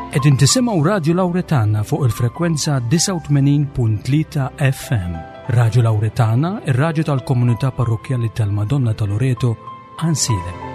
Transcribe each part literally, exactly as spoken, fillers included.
Qegħdin tisimgħu Radio Lauretana fuq il-frekwenza disgħa u tmenin punt tlieta F M. Radio Lauretana, ir-radju tal-Komunità Parrokkjali tal-Madonna ta' Loreto, Għajnsielem.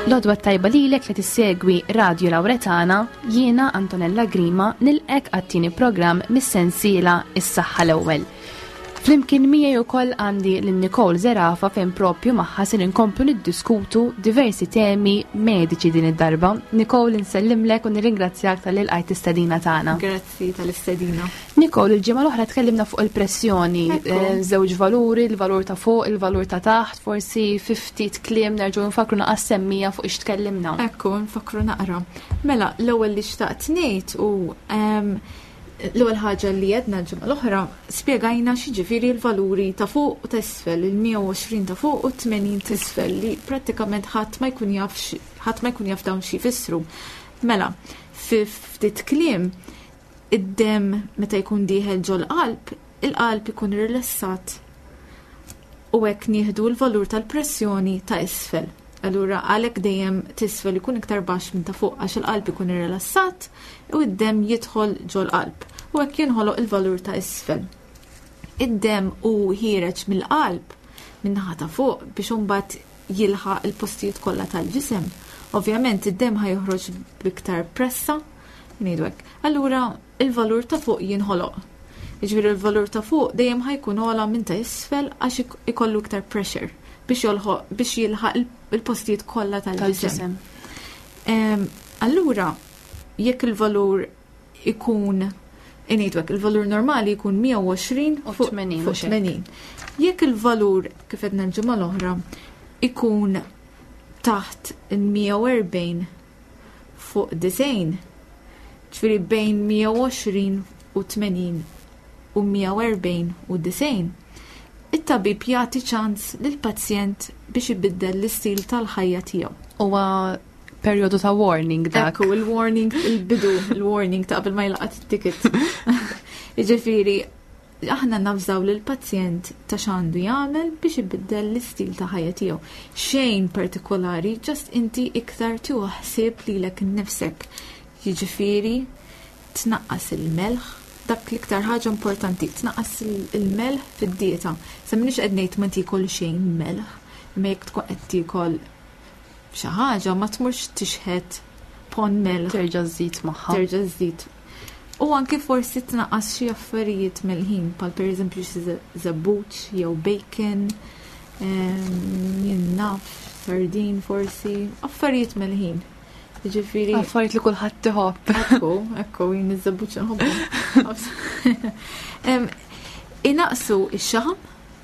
L-għodwa tajba lilek li tissegwi Radio Lauretana, jiena Antonella Grima nilqek għat-tieni programm mis-sensiela Is-Saħħa l-Ewwel. Flimkien miegħi wkoll għandi lil Nicole Zerafa fejn propju magħha se ninkomplu niddiskutu diversi temi mediċi din id-darba. Nicole, insellimlek u nirringrazzjak tal-li lqajt l-istedina tagħna. Grazzi tal-istedina. Nicole, il-ġimgħa l-oħra tkellimna fuq il-pressjoni, Ekku. eh, żewġ valuri, il-valur ta' fuq, il-valur ta' taħt, forsi fi ftit kliem nerġgħu nfakru naqas semmija fuq ix tkellimna. Ekku, nfakru naqra. Mela, l-ewwel li xtaqt ngħid u, ehm, l-ewwel ħaġa li għedna l-ġimgħa l-oħra spjegajna x'jiġifieri l-valuri ta' fuq u ta' isfel, il-mija u għoxrin ta' fuq u tmenin ta' isfel li prattikament ħadd ma jkun jaf x-, ħadd ma jkun jaf dawn xi jfissru. Mela, fi ftit kliem, id-demm meta jkun dieħel ġol-qalb, il-qalb ikun rilassat u hekk nieħdu l-valur tal-pressjoni ta' isfel. Allura għalhekk dejjem tisfel ikun iktar baxx minn ta' fuq għax il-qalb ikun irrilassat u d-demm jidħol ġol-qalb u hekk jinħoloq il-valur ta' isfel. Id-demm hu ħiereġ mill-qalb min-naħa ta' fuq biex imbagħad jilħaq il-postijiet kollha tal-ġisem. Ovvjament id-demm ħa joħroġ b'iktar pressa, ngħidu hekk. Allura il-valur ta' fuq jinħoloq. Jiġifieri il-valur ta' fuq dejjem ħa jkun ogħla minn ta' isfel għax ik-, ikollu iktar pressure biex jolħoq, biex jilħaq il-, il-postijiet kollha tal-ġisem. Tal-ġisem. Em, allura, jekk il-valur ikun, ngħidu hekk, il-valur normali jkun mija u għoxrin U fuq tmenin, fuq mhux hekk. tmenin. Jekk il-valur, kif għedna l-ġimgħa l-oħra, ikun taħt il-mija u erbgħin fuq disgħin, ġifieri bejn mija u għoxrin u tmenin u mija u erbgħin u disgħin, it-tabib jagħti ċans lill-pazjent biex ibiddel l-istil tal-ħajja tiegħu. Huwa perjodu ta' warning dak. Ekku, il-warning, il-bidu, il-warning ta' qabel ma jlaqat it-ticket. Jiġifieri, aħna nafżaw lill-pazjent ta' x'għandu jagħmel biex ibiddel l-istil ta' ħajja tiegħu. Xejn partikolari, just inti iktar tieħu ħsieb lilek innifsek. Jiġifieri, tnaqqas il-melħ, dak l-iktar ħaġa importanti, tnaqqas il-, il-melħ fid-dieta. Sa m'iniex qed ngħid ma tiekol xejn melħ, imma jekk tkun qed tiekol xi ħaġa ma tmurx tixħet pon melħ. Terġa' żżid magħha. Terġa' żżid. U anke forsi tnaqqas xi affarijiet melħin, bħal pereżempju xi ze-, żebbuġ jew bacon, ehm, jien naf, sardin forsi, affarijiet melħin. Jiġifieri Affarijiet li kulħadd iħobb. Ekku, ekku, jien iż-żebbuġ nħobbu. Em, inaqsu x-xaħam,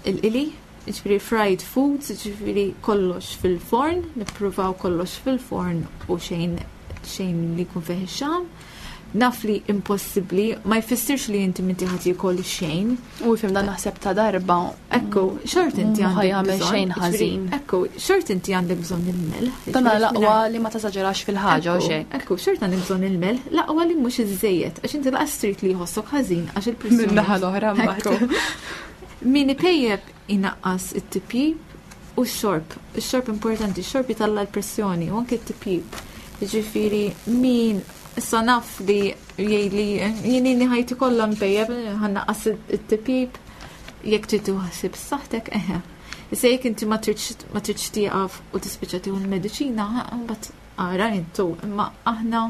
il-qili, jiġifieri fried foods, jiġifieri kollox fil-forn, nippruvaw kollox fil-forn u xejn, xejn li jkun fih ix-xaħam. Naf li impossibbli, ma jfissirx li inti minti ħadd jiekol xejn. U fim dan naħseb ta' darba. Ekku, xort inti Mhu għandek ħajamel bżonn, xejn jiġifieri, ħażin. Ekku, xort inti għandek bżonn il-melħ. Dan Jiġifieri l-aqwa mingħajr li ma tażaġerax fil-ħaġa u Ekku, xejn. Ekku, xort għandek bżonn il-melħ, l-aqwa li mhux iżejjed, għax inti laqas trid li jħossok ħażin għax il-pressjoni. Min-naħa l-oħra mbagħad. Ekku. Min ipejjeb inaqqas it-tipjib u x-xorb. Ix-xorb importanti, ix-xorb jitalla l-pressjoni u anke t-tipjib. Jiġifieri min issa naf li jgħidli jien inni ħajti kollha mpejjeb, ħannaqqas it-tipjib, jekk trid tieħu ħsieb saħħtek, eħe. Issa jekk inti ma tridx, ma tridx tieqaf u tispiċċa tieħu l-mediċina, ha, mbagħad ara intu, imma aħna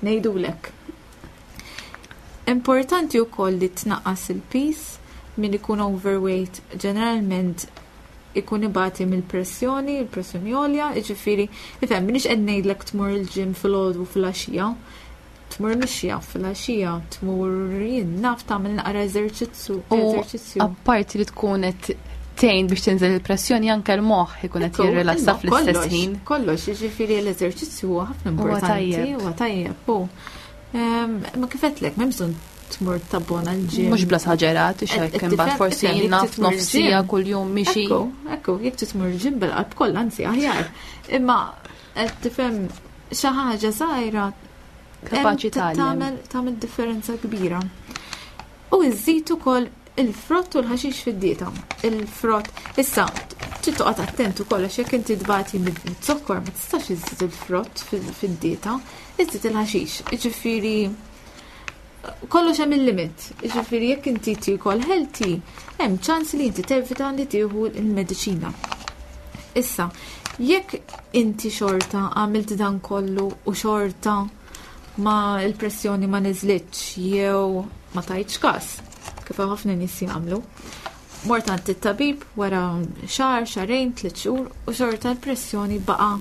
ngħidulek. Importanti wkoll li tnaqqas il-piż, min ikun overweight ġeneralment ikun ibati mill-pressjoni, il-pressjoni għolja, jiġifieri, ifhem, m'iniex qed ngħidlek tmur il-gym filgħodu filgħaxija, tmur mixja filgħaxija, tmur jien naf tagħmel naqra eżerċizzju. U eżerċizzju. Apparti li tkun qed tgħin biex tinżel il-pressjoni, anke l-moħħ ikun qed Ekku, jirrilassa imma fl-istess kollox, ħin. Kollox, jiġifieri l-eżerċizzju huwa ħafna Huwa importanti, tajjeb. huwa tajjeb. u, ehm, Ma kif għedtlek, m'hemm bżonn tmur tabbona l-gym. Mhux bla esaġerat, Qed- xek qed imbagħad tifhem- forsi ifhem, jekk naf titmur nofsija il-gym. kuljum mixi. Ekku, ekku, jekk titmur il-gym bil-qalb kollha, anzi aħjar. Imma qed tifhem, xi ħaġa żgħira Kapaċi hemm tgħallem. tagħmel tagħmel differenza kbira. U iżid ukoll il-frott u l-ħaxix fid-dieta. Il-frott, issa, trid toqgħod attent ukoll għax jekk inti tbati mid-zokkor ma tistax iżid il-frott fil- fid-dieta, iżid il-ħaxix. Jiġifieri kollox hemm il-limit. Jiġifieri jekk inti tiekol healthy, hemm ċans li inti tevita li tieħu l-mediċina. Issa, jekk inti xorta għamilt dan kollu u xorta ma il-pressjoni ma niżlitx jew ma tajtx kas, kif ħafna nies jagħmlu. Mort għand it-tabib wara xahar, xahrejn, tliet xhur u xorta l-pressjoni baqa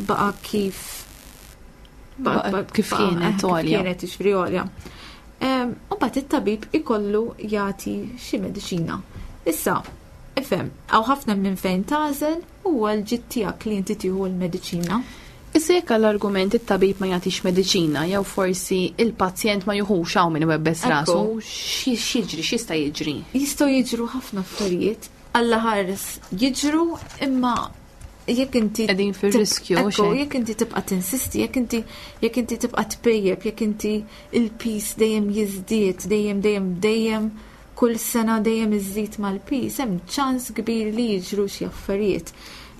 baqa kif Baqa kif kienet eh, kif għolja. Kienet jiġifieri għolja. Em, U mbagħad it-tabib ikollu jagħti xi mediċina. Issa, ifhem, hawn ħafna minn fejn tagħżel, huwa l-ġid tiegħek li inti tieħu l-mediċina. Issa jekk għall-argument it-tabib ma jagħtix mediċina jew forsi il-pazjent ma juħux, hawn min iwebbes Ekku. rasu, xi- x'jiġri, x'jista' jiġri? Jistgħu jiġru ħafna affarijiet, Alla ħares jiġru, imma jekk inti Qegħdin fir-riskju, Ekku, xejn. jekk inti tibqa' tinsisti, jekk inti jekk inti tibqa' tpejjeb, jekk inti il-piż dejjem jiżdied, dejjem dejjem dejjem kull sena dejjem iżid mal-piż, hemm ċans kbir li jiġru xi affarijiet.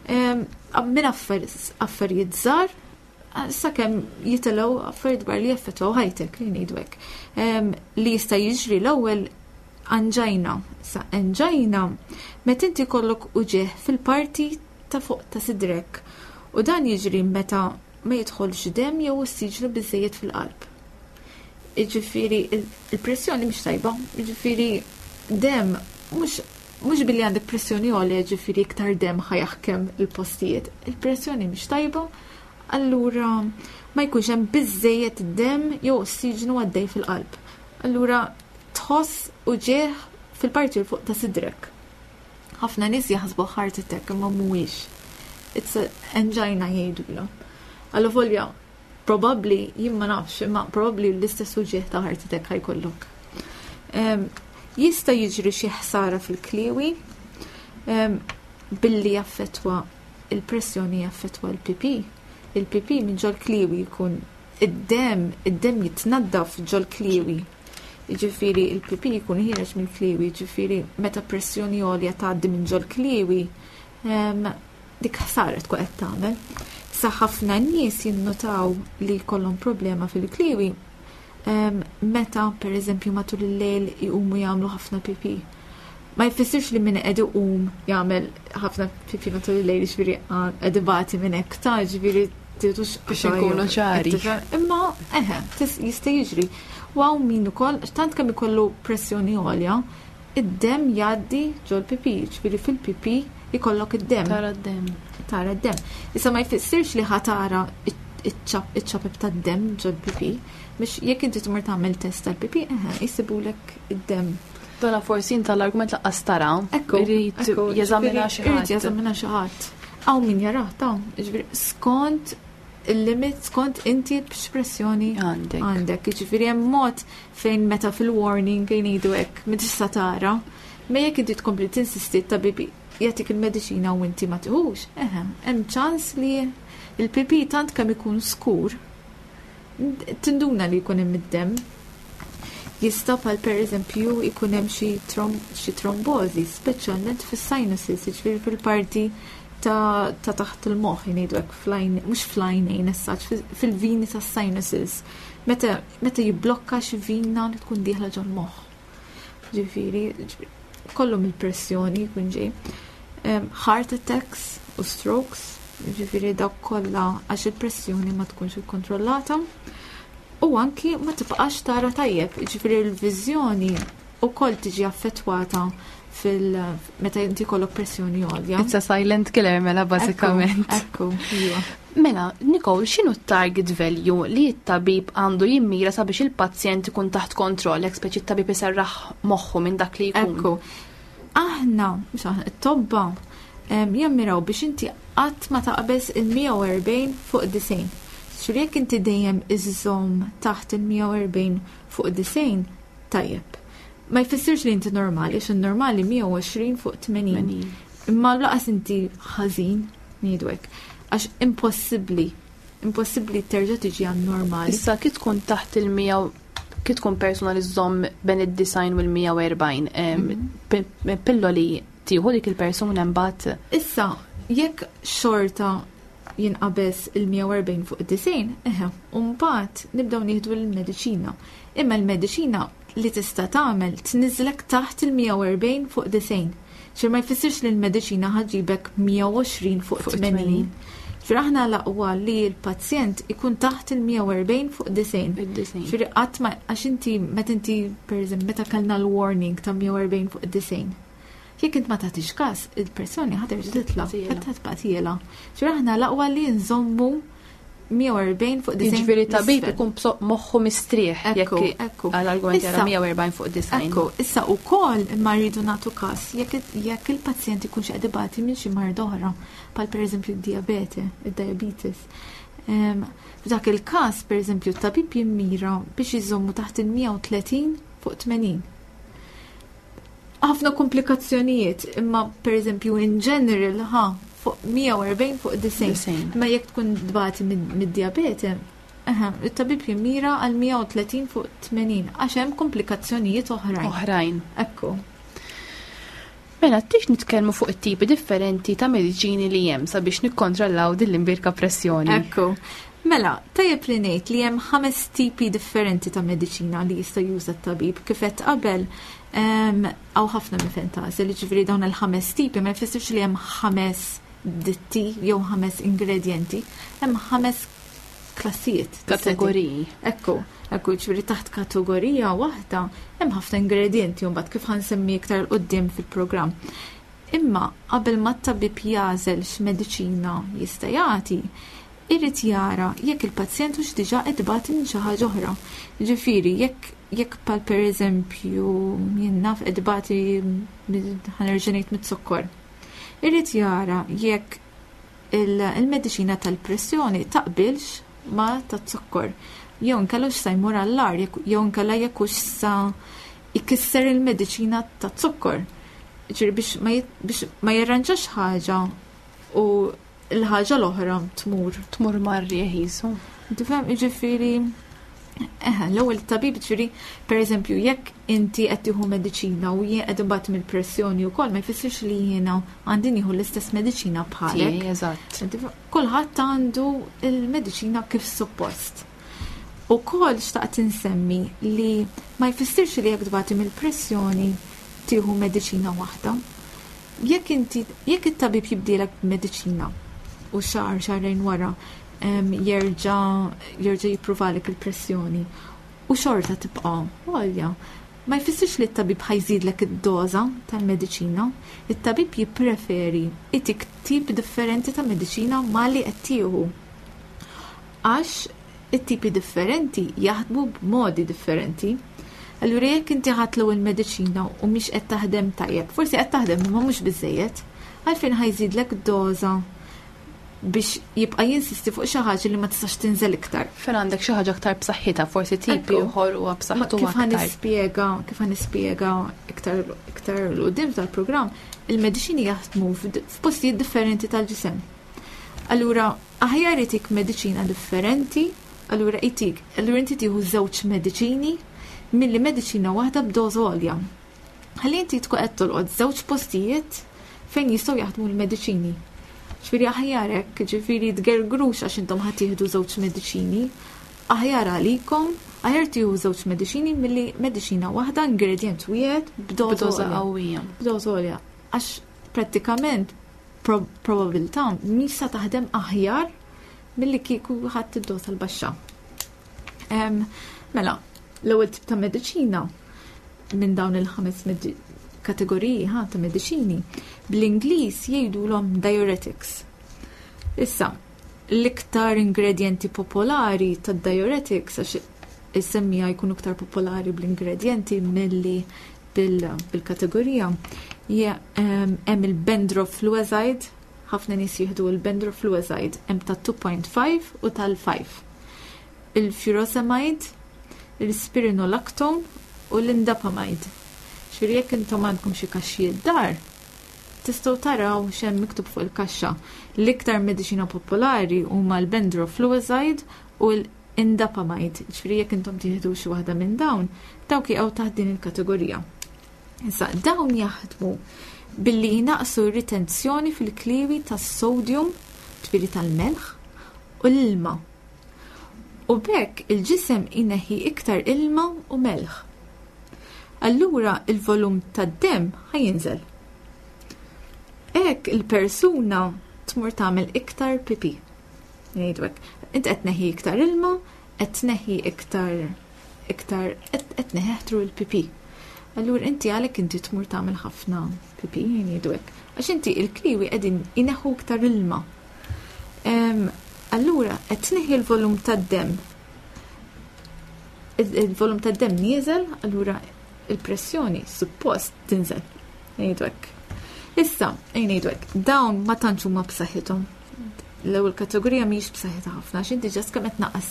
Em, Minn affar- affarijiet żgħar sakemm jitilgħu affarijiet kbar li jaffettwaw ħajtek, li ngħidu hekk. Em, Li jista' jiġri l-ewwel angina. Sa angina meta inti jkollok uġigħ fil-parti ta' fuq ta' sidrek. U dan jiġri meta ma jidħolx dem jew ossiġnu biżejjed fil-qalb. Jiġifieri il- il-pressjoni mhix tajba, jiġifieri dem mhux mhux billi għandek pressjoni għolja jiġifieri iktar dem ħa jaħkem il-postijiet. Il-pressjoni mhix tajba, allura ma jkunx hemm biżejjed dem jew ossiġnu għaddej fil-qalb. Allura tħoss uġigħ fil-parti l fuq ta' sidrek. Ħafna nies jaħsbu heart attack, imma mhuwiex. It's a angina jgħidulha. Alla volja, probably, jien ma nafx, imma probably l-istess uġigħ ta' heart attack ħa jkollok. Em, Jista' jiġri xi ħsara fil-kliewi em, billi jaffetwa il-pressjoni, jaffetwa l-P P. Il-P P minn ġol kliewi jkun id-dem, id-dem jitnaddaf ġol kliewi. Jiġifieri il-P P jkun ħiereġ minn kliewi, jiġifieri meta pressjoni għolja tgħaddi minn ġol kliewi, em, dik ħsara tkun qed tagħmel. Sa ħafna nies jinnotaw li jkollhom problema fil-kliewi em, meta per eżempju matul il-lejl jqumu jagħmlu ħafna pipi. Ma jfissirx li min qed iqum jagħmel ħafna pipi matul il-lejl jiġifieri qed ibati minn hekk ta', jiġifieri titux Biex inkunu ċari. Imma eħe, tis- jista' jiġri. U hawn min ukoll tant kemm ikollu pressjoni għolja, id-dem jgħaddi ġol pipi, ġifieri fil-pipi jkollok id-dem. Tara d-dem. Tara d-dem. Issa ma jfissirx li ħa tara iċ-ċapep tad-dem ġol pipi, biex jekk inti tmur tagħmel test tal-pipi, eħe, jsibulek id-dem. Dona forsi inta l-argument laqqas tara. Ekku, Irid ekku, jeżamina ġifieri xi irid ħadd. jeżamina xi ħadd. Hawn min jarah ta', ġifieri skont il-limit, skont inti b'x'pressjoni Għandek. għandek. Jiġifieri hemm mod fejn meta fil-warning jgħidu hekk, ma tista' tara. Ma jekk inti tkompli tinsisti, tabib jagħtik il-mediċina u inti ma tiħux, eħe, hemm ċans li il-pipi tant kemm ikun skur tinduna li jkun hemm id-dem. Jista' bħal per eżempju jkun hemm xi trom- xi trombożi, speċjalment fis-sinuses, jiġifieri fil-parti ta' ta' taħt il-moħħ jgħidu hekk, flajn, mhux flajnejn essaċ, fil-vini tas-sinuses. Meta meta jibblokka xi vina li tkun dieħla ġol-moħħ. Ġifieri, ġifieri, kollu mill-pressjoni jkun ġej. Em, Heart attacks u strokes, ġifieri dawk kollha għax il-pressjoni ma tkunx ikkontrollata. U anki ma tibqax tara tajjeb, ġifieri l-viżjoni ukoll tiġi affettwata fil meta inti jkollok pressjoni għolja. It's a silent killer mela bażikament. Ekku, iva. Mela, Nicole, x'inhu t-target value li t-tabib għandu jimmira sabiex il-pazjent ikun taħt kontroll, jekk speċi t-tabib iserraħ moħħu minn dak li jkun? Ekku. Aħna, mhux aħna, it-tobba em, jammiraw biex inti qatt ma taqbeż il-mija u erbgħin fuq disgħin. Ġifieri jekk inti dejjem iżżomm taħt il-mija u erbgħin fuq disgħin, tajjeb. Ma jfissirx li inti normali, għax normali mija u għoxrin fuq tmenin. Imma lanqas inti ħażin, ngħidu hekk. Għax impossibbli, impossibbli terġa' tiġi għan normali. Issa kif tkun taħt il-mija, kif tkun persuna li żżomm bejn id-disgħin u l-mija u erbgħin, em, pi- pilloli tieħu dik il-persuna mbagħad? Issa, jekk xorta jinqabeż il-mija u erbgħin fuq id-disgħin, eħe, mbagħad nibdew nieħdu l-mediċina. Imma l-mediċina li tista' tagħmel tniżlek taħt il-mija u erbgħin fuq disgħin. Ġifieri ma jfissirx li l-mediċina ħa ġġibek mija u għoxrin fuq Fuq tmenin. tmenin. Ġifieri aħna l-aqwa li l-pazjent ikun taħt il-mija u erbgħin fuq disgħin. Id-disgħin. Ġifieri qatt ma, għax inti meta inti, pereżempju, meta kellna l-warning ta' mija u erbgħin fuq disgħin. Jekk int ma tagħtix każ, il-pressjoni ħa terġa' titla', Tiela. ħa tibqa' tiela. Ġifieri aħna l-aqwa li nżommu mija u erbgħin fuq disgħin. Jiġifieri tabib l-isfel. ikun bso- moħħu mistrieħ Ekku, jekk ekku. għal-argument jara Issa- mija u erbgħin fuq disgħin. Ekku, issa ukoll imma rridu nagħtu każ jekk jekk il-pazjent ikun xi qed ibati minn xi mard oħra, bħal pereżempju d-diabete, id-diabetes. Em, F'dak il-każ, pereżempju, t-tabib jimmira biex iżommu taħt il-mija u tletin fuq tmenin. Ħafna komplikazzjonijiet, imma pereżempju in general ħa fuq mija u erbgħin fuq disgħin. Disgħin. Imma jekk tkun tbati mid-diabete, eħe, it-tabib jimmira għal mija u tletin fuq tmenin għax hemm komplikazzjonijiet oħrajn. Oħrajn. Ekku. Mela, tix nitkellmu fuq it-tipi differenti ta' mediċini li hemm sabiex nikkontrollaw din l-imbirka pressjoni? Ekku. Mela, tajjeb li ngħid li hemm ħames tipi differenti ta' mediċina li jista' juża t-tabib. Kif qed qabel, em, hawn ħafna mifentasi li ġifieri dawn il-ħames tipi ma jfissirx li hemm ħames ditti jew ħames ingredienti, hemm ħames klassijiet. Kategoriji. Ekku, ekku, ġifieri taħt kategorija waħda hemm ħafna ingredienti u mbagħad kif ħa nsemmi iktar 'il quddiem fil-programm. Imma qabel ma t-tabib jagħżel x'mediċina jista' jagħti, irid jara jekk il-pazjent hux diġà qed ibati minn xi ħaġa oħra. Ġifieri jekk jekk pal pereżempju jien naf qed ibati ħa nerġa' ngħid mit-zokkor. Irid jara jekk il-mediċina tal-pressjoni taqbilx ma ta' zokkor. Jew inkella sa jmur għall-agħar, jew inkella jekk hux sa jkisser il-mediċina ta' zokkor. Ġifieri biex ma jit- biex ma jirranġax ħaġa u l-ħaġa l-oħra tmur. Tmur marri jisu. Tifhem, ġifieri, eħe, l-ewwel tabib, ġifieri, pereżempju, jekk inti qed tieħu mediċina u jien qed imbagħad mill-pressjoni wkoll, ma jfissirx li jiena għandi nieħu l-istess mediċina bħalek. Tiegħi, eżatt. Kulħadd għandu il-mediċina kif suppost. Ukoll xtaqt insemmi li ma jfissirx li jekk tbati mill-pressjoni tieħu mediċina waħda. Jekk inti jekk it-tabib jibdielek mediċina u xahar xahrejn wara em, jerġa' jerġa' jippruvalek il-pressjoni u xorta tibqa' għolja, ma jfissirx li t-tabib ħa jżidlek id-doża tal-mediċina, it-tabib jippreferi itik tip differenti ta' mediċina ma li qed tieħu. Għax it-tipi differenti jaħdmu b'modi differenti. Allura jekk inti ħadt l-ewwel mediċina u mhix qed taħdem tajjeb, forsi qed taħdem imma mhux biżejjed, għalfejn ħa jżidlek doża biex jibqa' jinsisti fuq xi ħaġa li ma tistax tinżel iktar? Fejn għandek xi ħaġa aktar b'saħħitha, forsi tipi Ekku. ieħor huwa Ma b'saħħtu kif ħa aktar. nispjega, kif ħa nispjega iktar iktar 'l quddiem tal-programm, il-mediċini jaħdmu f'd- f'postijiet differenti tal-ġisem. Allura, aħjar itik mediċina differenti, allura itik, allura inti tieħu żewġ mediċini milli mediċina waħda b'doża għolja. Ħalli inti tkun qed tolqot żewġ postijiet fejn jistgħu jaħdmu l-mediċini. Ġifieri aħjar hekk, ġifieri tgergrux għax intom ħa tieħdu żewġ mediċini, aħjar għalikom, aħjar tieħu żewġ mediċini milli mediċina waħda, ingredient wieħed b'doża B'doża għolja. qawwija. B'doża għolja. Għax prattikament pro probabilità mhix sa taħdem aħjar milli kieku ħadd id-doża l-baxxa. Em, Mela, l-ewwel tip ta' mediċina minn dawn il-ħames kategoriji ħa ta' mediċini bl-Ingliż jgħidulhom diuretics. Issa, l-iktar ingredienti popolari tad-diuretics, għax is-semmija jkunu iktar popolari bl-ingredienti milli bil-kategorija, hemm il-bendrofluazide, ħafna nies jieħdu il-bendrofluazide, hemm ta' two point five u tal-five. Il-furosemide, il-spironolactone u l-indapamide. Ġifieri jekk intom għandkom xi kaxxi d-dar, tistgħu taraw x'hemm miktub fuq il-kaxxa. L-iktar mediċina popolari huma l-bendrofluazide u l-indapamide. Ġifieri jekk intom tieħdu xi waħda minn dawn, dawk jaqgħu taħt din il-kategorija. Issa, dawn jaħdmu billi jnaqsu r-ritenzjoni fil-kliwi tas-sodium, ġifieri tal-melħ, u l-ilma. U b'hekk il-ġisem ineħħi iktar ilma u melħ. Allura il-volum tad-dem ħa jinżel. Hekk il-persuna tmur tagħmel iktar pipi. Ngħidu hekk. Int qed tneħħi iktar ilma, qed tneħħi iktar iktar qed tneħħi il-pipi. Allura inti għalhekk inti tmur tagħmel ħafna pipi, ngħidu hekk. Għax inti il-kliwi qegħdin ineħħu iktar ilma. Allura qed tneħħi l-volum tad-dem. Il-volum tad-dem nieżel, allura il-pressjoni suppost tinżel. Ngħidu hekk. Issa, ngħidu hekk, dawn ma tantx huma b'saħħithom. L-ewwel kategorija mhijiex b'saħħitha ħafna, għax inti just kemm qed tnaqqas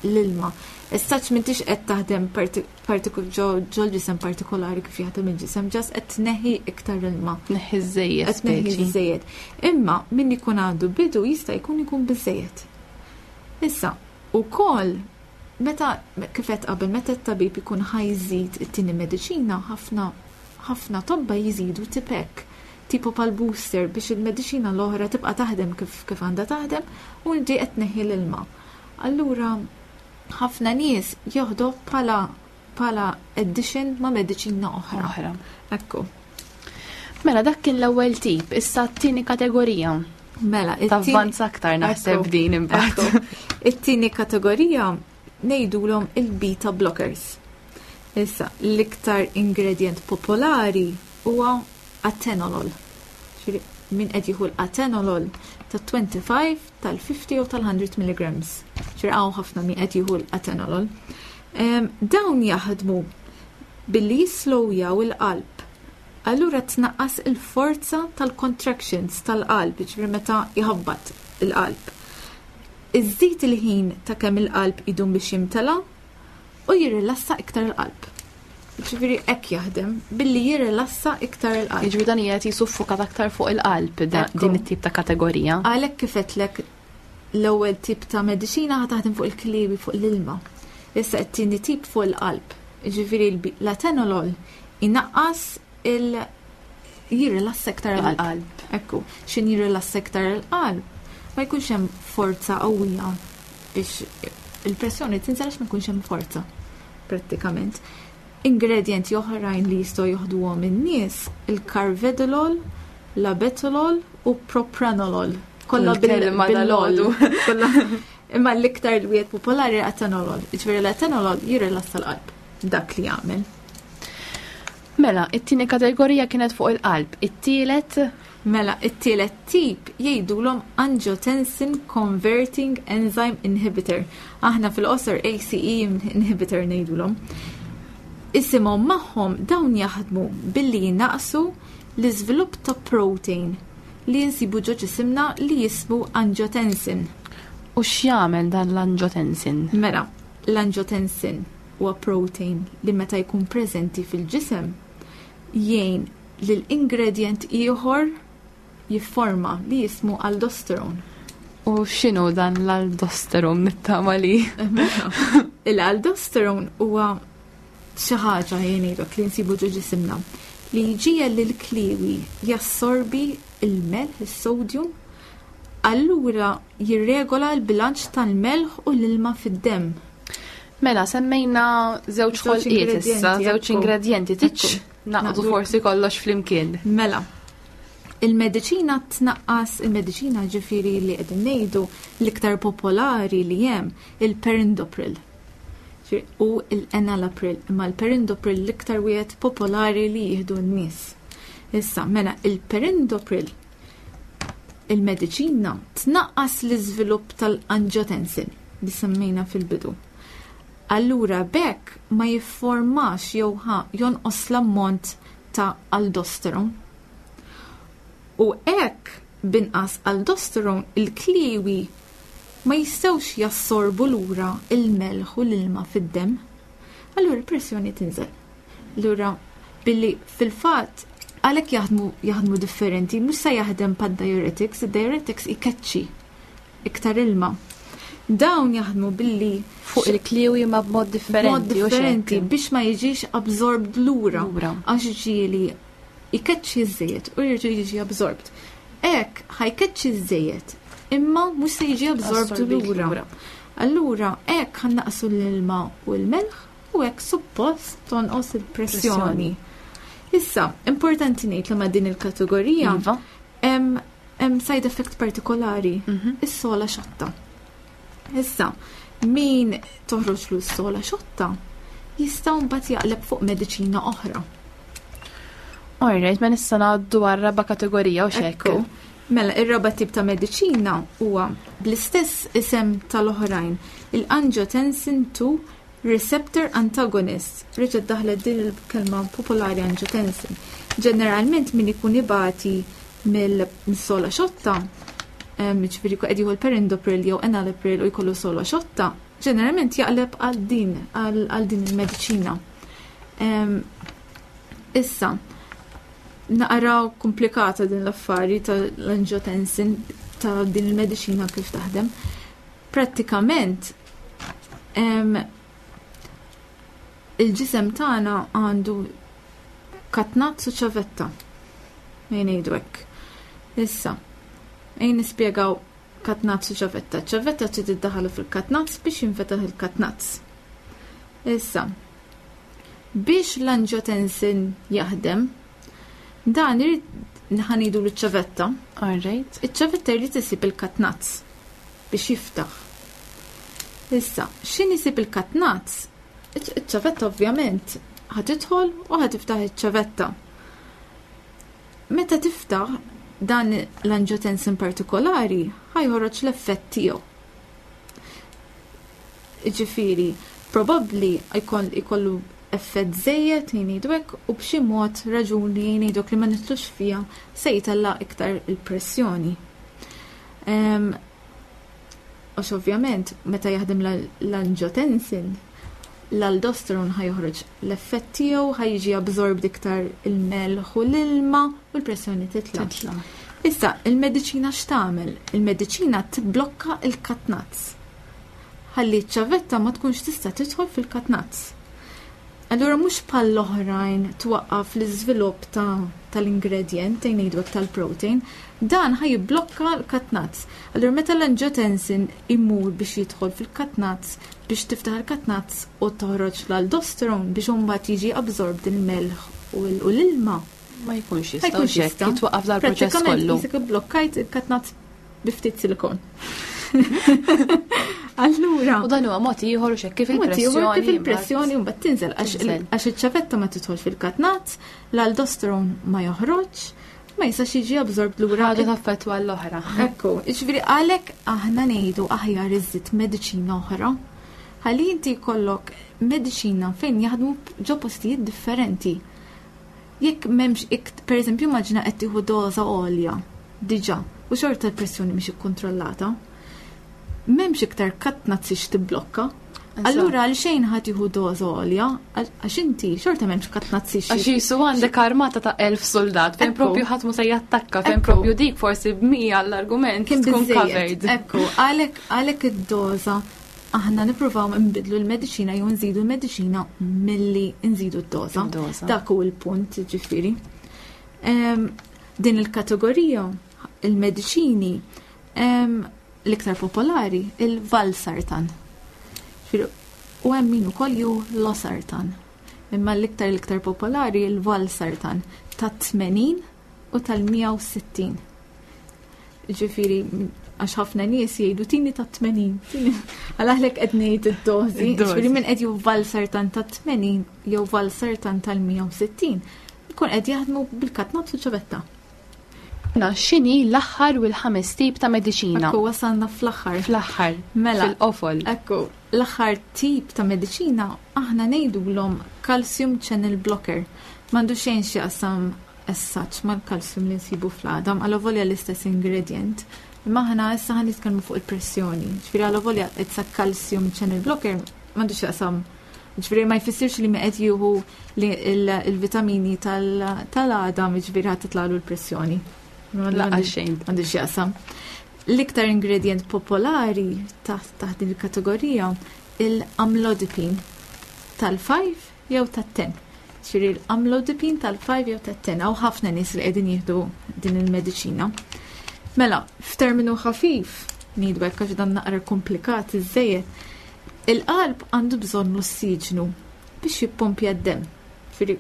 l-ilma. Issa m'intix qed taħdem ġol-ġisem partikolari kif jaħdem il-ġisem, just qed tneħħi iktar ilma. Tneħħi żejjed. Qed tneħħi żejjed. Imma min ikun għandu bidu jista' jkun ikun biżejjed. Issa, ukoll meta kif qed qabel, meta t-tabib ikun ħa jżid it-tieni mediċina, ħafna ħafna tobba jżidu tipek tipo pal booster biex il-mediċina l-oħra tibqa' taħdem kif kif għandha taħdem u inti qed tneħħi l-ilma. Allura ħafna nies joħdu bħala bħala addition ma' mediċina oħra. Oħra. Ekku. Mela dak kien l-ewwel tip, issa t-tieni kategorija. Mela, Tavvanza aktar naħseb din imbagħad. It-tieni kategorija ngħidulhom il-beta blockers. Issa, l-iktar ingredient popolari huwa atenolol. Min qed jieħu l-atenolol ta' twenty-five, tal-fifty u tal-one hundred milligrams. Ġifieri hawn ħafna min qed jieħu l-atenolol. Dawn jaħdmu billi jislowjaw il-qalb. Allura tnaqqas il-forza tal-contractions tal-qalb, ġifieri meta jħabbat il-qalb. Iżżid il-ħin ta' kemm il-qalb idum biex jimtela u jirrilassa iktar il-qalb. Ġifieri hekk jaħdem billi jirrilassa iktar il-qalb. Ġifieri dan qiegħed jisuffokat aktar fuq il-qalb din it-tip ta' kategorija. Għalhekk kif għedtlek, l-ewwel tip ta' mediċina ħa taħdem fuq il-kliewi, fuq l-ilma. Issa t-tieni tip fuq il-qalb. Ġifieri l-atenolol inaqqas il jirrilassa iktar il-qalb. Ekku, x'ħin jirrilassa iktar il-qalb, ma jkunx hemm forza qawwija biex il-pressjoni tinżel, għax ma jkunx hemm forza prattikament. Ingredienti oħrajn li jistgħu joħduhom in-nies: il-carvedilol, labetalol u propranolol. Kollha bil-lol. Imma l-iktar li wieħed popolari atenolol. Ġifieri l-atenolol jirrilassa l-qalb. Dak li jagħmel. Mela, it-tieni kategorija kienet fuq il-qalb. It-tielet? Mela, it-tielet tip jgħidulhom angiotensin converting enzyme inhibitor. Aħna fil-qosor A C E inhibitor ngħidulhom. Isimhom magħhom, dawn jaħdmu billi jinaqsu l-iżvilupp ta' protein li jinsibu ġo ġisimna li jismu angiotensin. U x'jagħmel dan l-angiotensin? Mela, l-angiotensin huwa protein li meta jkun preżenti fil-ġisem jgħin lil ingredient ieħor jifforma li jismu aldosterone. U x'inhu dan l-aldosterone, nittama li? Il-aldosterone huwa xi ħaġa jgħidok li nsibu ġo ġisimna li jġiegħel lil kliwi jassorbi il-melħ, is-sodium, allura jirregola l-bilanċ tal-melħ u l-ilma fid-demm. Mela, semmejna żewġ ħolqiet issa, żewġ ingredienti, tiċ naqdu forsi kollox flimkien. Mela, il-mediċina tnaqqas, il-mediċina ġifieri li qegħdin ngħidu l-iktar popolari li hemm il-perindopril. U l-enalapril, imma l-perindopril l-iktar wieħed popolari li jieħdu n-nies. Issa, mela, il-perindopril, il-mediċina tnaqqas l-iżvilupp tal-angiotensin li semmejna fil-bidu. Allura b'hekk ma jifformax jew jonqos l-ammont ta' aldosteron. U hekk b'inqas aldosteron il-kliewi ma jistgħux jassorbu lura il-melħ u l-ilma fid-demm. Allura il-pressjoni tinżel. Allura billi fil-fatt għalhekk jaħdmu jaħdmu differenti, mhux se jaħdem bħad-diuretics, id-diuretics ikeċċi iktar ilma. Dawn jaħdmu billi fuq il-kliewi ma b'mod differenti. Mod differenti biex ma jiġix absorbed lura. Għax ġieli ikeċċi żejjed u jerġa' jiġi absorbed. Hekk ħa jkeċċi żejjed imma mhux se jiġi absorbed lura. Allura hekk ħa nnaqqsu l-ilma u l-melħ u hekk suppost tonqos il-pressjoni. Issa, importanti ngħid li ma' din il-kategorija iva. hemm side effect partikolari, mhm. is-sola xotta. Issa, min toħroġ s-sola xotta jista' mbagħad jaqleb fuq mediċina oħra. Alright, ma nista' ngħaddu għar-raba' kategorija u xekk. Mela, ir-raba' tip ta' mediċina huwa bl-istess isem tal-oħrajn, il-angiotensin two receptor antagonist. Reġgħet daħlet din il-kelma popolari angiotensin. Ġeneralment min ikun ibati mill-sola xotta, ġifieri qed jieħu l-perindopril jew enalapril u jkollu sola xotta, ġeneralment jaqleb għal din għal din il-mediċina. Issa, naqra komplikata din l-affari tal-angiotensin, ta' din il-mediċina kif taħdem. Prattikament, il-ġisem tagħna għandu katnazz u ċavetta. Ejja ngħidu hekk. Issa, ejja nispjegaw katnazz u ċavetta. Ċavetta trid iddaħħlu fil-katnazz biex jinfetaħ il-katnazz. Issa, biex l-angiotensin jaħdem, dan irid ħa ngħidu l-ċavetta. All right. Iċ-ċavetta jrid isib il-katnazz biex jiftaħ. Issa, x'ħin isib il-katnazz? Iċ-ċavetta ovvjament ħa tidħol u ħa tiftaħ iċ-ċavetta. Meta tiftaħ dan l-angiotensin partikolari ħa joħroġ l-effett tiegħu. Ġifieri, probabbli jkollu effett żejjed ngħidu hekk u b'xi mod raġuni ngħidu li ma nitlux fiha se jtella' iktar il-pressjoni. Għax ovvjament meta jaħdem l-angiotensin, l-aldosteron ħa joħroġ l-effett tiegħu, ħa jiġi absorbed iktar il-melħ u l-ilma u l-pressjoni titla'. Titla'. Issa, il-mediċina x'tagħmel? Il-mediċina tibblokka il-katnazz. Ħalli ċ-ċavetta ma tkunx tista' tidħol fil-katnazz. Allura mhux bħall-oħrajn twaqqaf l-iżvilupp tal-ingredient, ngħidu tal-protein, dan ħa jibblokka l-katnazz. Allura meta l-angiotensin imur biex jidħol fil-katnazz, biex tiftaħ il-katnazz u toħroġ l-aldosteron biex imbagħad jiġi absorbed il-melħ u l-ilma. Ma jkunx Ma jista' jkunx hekk, jista'. jitwaqqaf dal-proċess Prattikament kollu. Qisek blokkajt il-katnazz bi ftit silikon. Allura, U dan huwa mod ieħor u xekk kif Mod ieħor il-pressjoni. kif il-pressjoni mbagħad tinżel għax il- Tinżel. għax iċ-ċavetta ma tidħol fil-katnazz, l-aldosteron ma joħroġ, ma jistax jiġi absorbed lura. Ħaġa taffettwa l-oħra. Ekku, jiġifieri għalhekk aħna ngħidu aħjar iżid mediċina oħra. Ħalli inti jkollok mediċina fejn jaħdmu ġo postijiet differenti. Jekk m'hemmx ikt, per eżempju, immaġina qed tieħu doża għolja diġà u xorta l-pressjoni mhix ikkontrollata. M'hemmx iktar katnazz tibblokka. Allura għal xejn ħa tieħu doża għolja, għax inti xorta m'hemmx katnazz Għax jisu għandek armata ta' elf soldat, fejn Ekku. propju ħadd mu se jattakka, fejn Ekku. propju dik forsi b'mija l-argument Kien tkun biżżejjed. covered. Ekku, għalhekk għalhekk id-doża aħna nippruvaw nbidlu l-mediċina jew nżidu l-mediċina milli nżidu d-doża. Id-doża. Dak hu l-punt, ġifieri. Em, Din il-kategorija, il-mediċini, em, l-iktar popolari, il-valsartan. Ġifieri, u hemm min ukoll ju losartan. Imma l-iktar l-iktar popolari il-valsartan ta' tmenin u tal-mija u sittin. Ġifieri, Għax ħafna nies jgħidu tini ta' tmenin. Għalhekk qed ngħid id-dożi. Ġifieri min qed jieħu valsartan ta' tmenin jew valsartan tal-mija u sittin, ikun qed jaħdmu bil-katnazz u ċavetta. Na, x'inhi l-aħħar u l-ħames tip ta' mediċina? Ekku, wasalna fl-aħħar. Fl-aħħar. Mela. Fil-qofol. Ekku, l-aħħar tip ta' mediċina aħna ngħidulhom calcium channel blocker. M'għandu xejn x'jaqsam as such mal-calcium li nsibu fl-għadam, għalavolja l-istess ingredient. Imma aħna issa ħa nitkellmu fuq il-pressjoni. Ġifieri għalavolja it's a calcium channel blocker, m'għandux x'jaqsam. Ġifieri ma jfissirx li qed jieħu il-vitamini tal-għadam, ġifieri ħa titlalu l-pressjoni. Laqas xejn. M'għandux x'jaqsam. L-iktar ingredient popolari taħt din il-kategorija il-amlodipine tal-five jew tat-ten. Ġifieri l-amlodipine tal-five jew tat-ten, hawn ħafna nies li qegħdin jieħdu din il-mediċina. Mela, f'terminu ħafif, ngħidu hekk għax dan naqra komplikat iżżejjed, il-qalb għandu bżonn l-ossiġnu biex jippompja d-demm. Ġifieri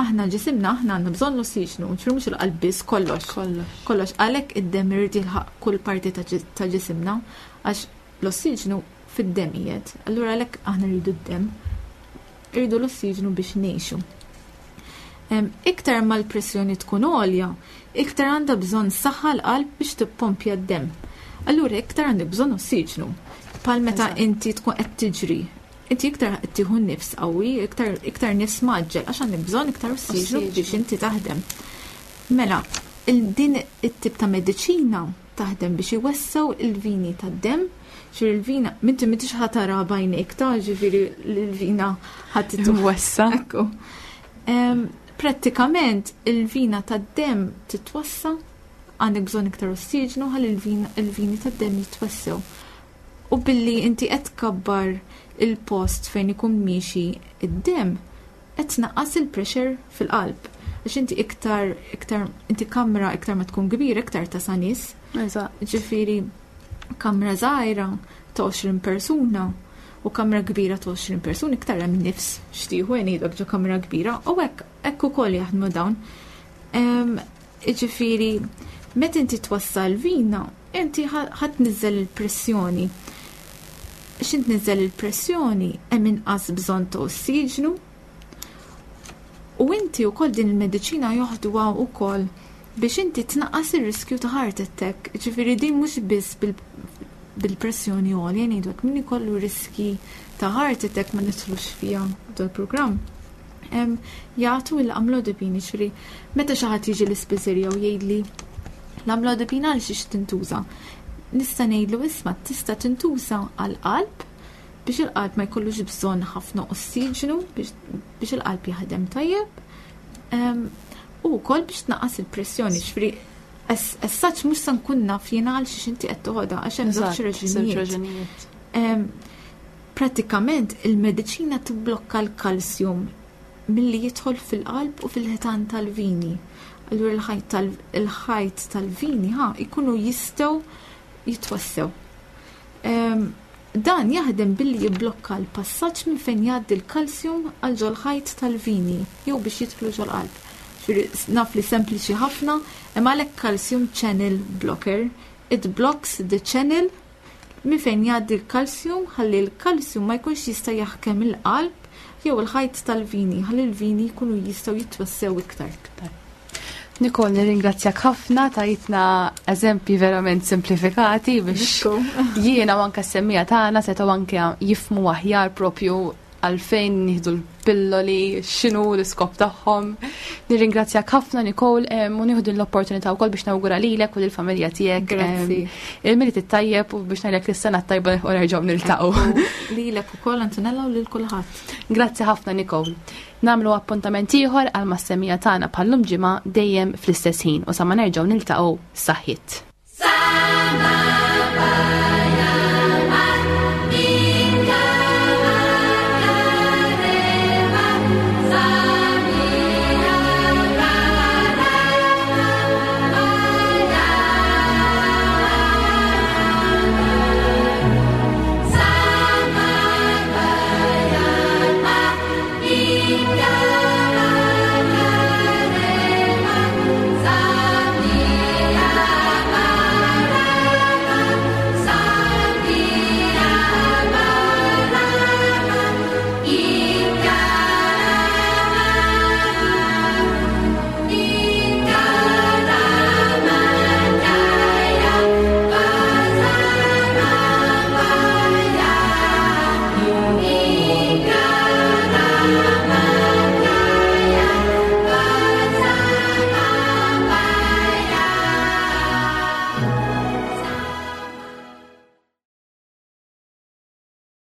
aħna ġisimna aħna għandna bżonn l-ossiġnu, ġifieri mhux il-qalb biss, kollox. Kollox. Kollox, għalhekk id-demm irid jilħaq kull parti ta' ġis-, ta' ġisimna, għax l-ossiġnu fid-demm qiegħed. Allura għalhekk aħna rridu d-demm, rridu l-ossiġnu biex ngħixu. Em, iktar ma l-pressjoni tkun għolja, iktar għandha bżonn saħħa l-qalb biex tippompja d-demm. Allura iktar għandek bżonn ossiġnu. Bħal meta Eżatt. inti tkun qed tiġri, inti iktar qed tieħu nifs qawwi, iktar, iktar nifs maġġel, għax għandek bżonn iktar ossiġnu Ossiġnu. biex inti taħdem. Mela, il-, din it-tip ta' mediċina taħdem biex iwessaw il-vini tad-demm, ġifieri il-vina, minti m'intix ħa tara b'għajnejk ta' ġifieri l-vina ħa titu- Mwessa. Ekku. Em, prattikament il-vina tad-demm titwassa, għandek bżonn iktar ossiġnu ħalli il-vina, il-vini tad-demm jitwassew. U billi inti qed tkabbar il-post fejn ikun miexi id-demm, qed tnaqqas il-pressure fil-qalb. Għax inti iktar, iktar, inti kamra iktar ma tkun kbira, iktar ta' nies. Eżatt. Ġifieri kamra żgħira ta' għoxrin persuna u kamra kbira ta' għoxrin persuna iktar hemm nifs xtieħu ngħidlek ġo kamra kbira u hekk hekk ukoll jaħdmu dawn. Em, ġifieri meta inti twassal vina, inti ħa-, ħa tniżżel il-pressjoni. X'int tniżżel il-pressjoni hemm inqas bżonn ta' ossiġnu. U inti wkoll din il-mediċina joħduha wkoll biex inti tnaqqas ir-riskju ta' heart attack. Ġifieri din mhux biss bil-, bil-pressjoni għolja, ngħidu hekk min ikollu riski ta' heart attack ma nidħlux fiha dal-programm. Em, jagħtu l-amlodipine, ġifieri meta xi ħadd jiġi l-ispiżerija u jgħidli l-amlodipine għal xiex tintuża. Nista' ngħidlu isma' tista' tintuża għall-qalb biex il-qalb ma jkollux bżonn ħafna ossiġnu biex, biex il-qalb jaħdem tajjeb. Em, u wkoll biex tnaqqas il-pressjoni, ġifieri as, as such mhux se nkun naf jiena għal xiex inti qed toħodha għax hemm żewġ Eżatt, żewġ raġunijiet. raġunijiet. Em, prattikament il-mediċina tibblokka l-kalsjum milli jidħol fil-qalb u fil-ħitan tal-vini. Allura il-ħajt tal-, il-ħajt tal-vini ħa jkunu jistgħu jitwassew. Em, dan jaħdem billi jibblokka l-passaġġ minn fejn jgħaddi l-kalsjum għal ġol-ħajt tal-vini jew biex jidħlu ġol-qalb. Ġifieri naf li sempliċi ħafna, imma għalhekk calcium channel blocker. It blocks the channel minn fejn jgħaddi l-kalsjum ħalli l-kalsjum ma jkunx jista' jaħkem il-qalb jew il-ħajt tal-vini, ħalli l-vini jkunu jistgħu jitwassew iktar. Nicole, nirringrazzjak ħafna, tajtna eżempji verament simplifikati biex Ekku. jiena u anke s-semmiegħa tagħna setgħu anke jifhmu aħjar propju għalfejn nieħdu l-pilloli, x'inhu l-iskop tagħhom. Nirringrazzjak ħafna Nicole, em, u nieħdu l-opportunità wkoll biex nawgura lilek u lill-familja tiegħek, Grazzi. em, il-Milied it-tajjeb u biex ngħidlek lis-sena t-tajba u nerġgħu niltaqgħu. Lilek ukoll Antonella u lil kulħadd. Grazzi ħafna Nicole. Nagħmlu appuntament ieħor għal mas-semmiegħa tagħna bħallum ġimgħa dejjem fl-istess ħin u sa ma nerġgħu niltaqgħu saħħit. Sama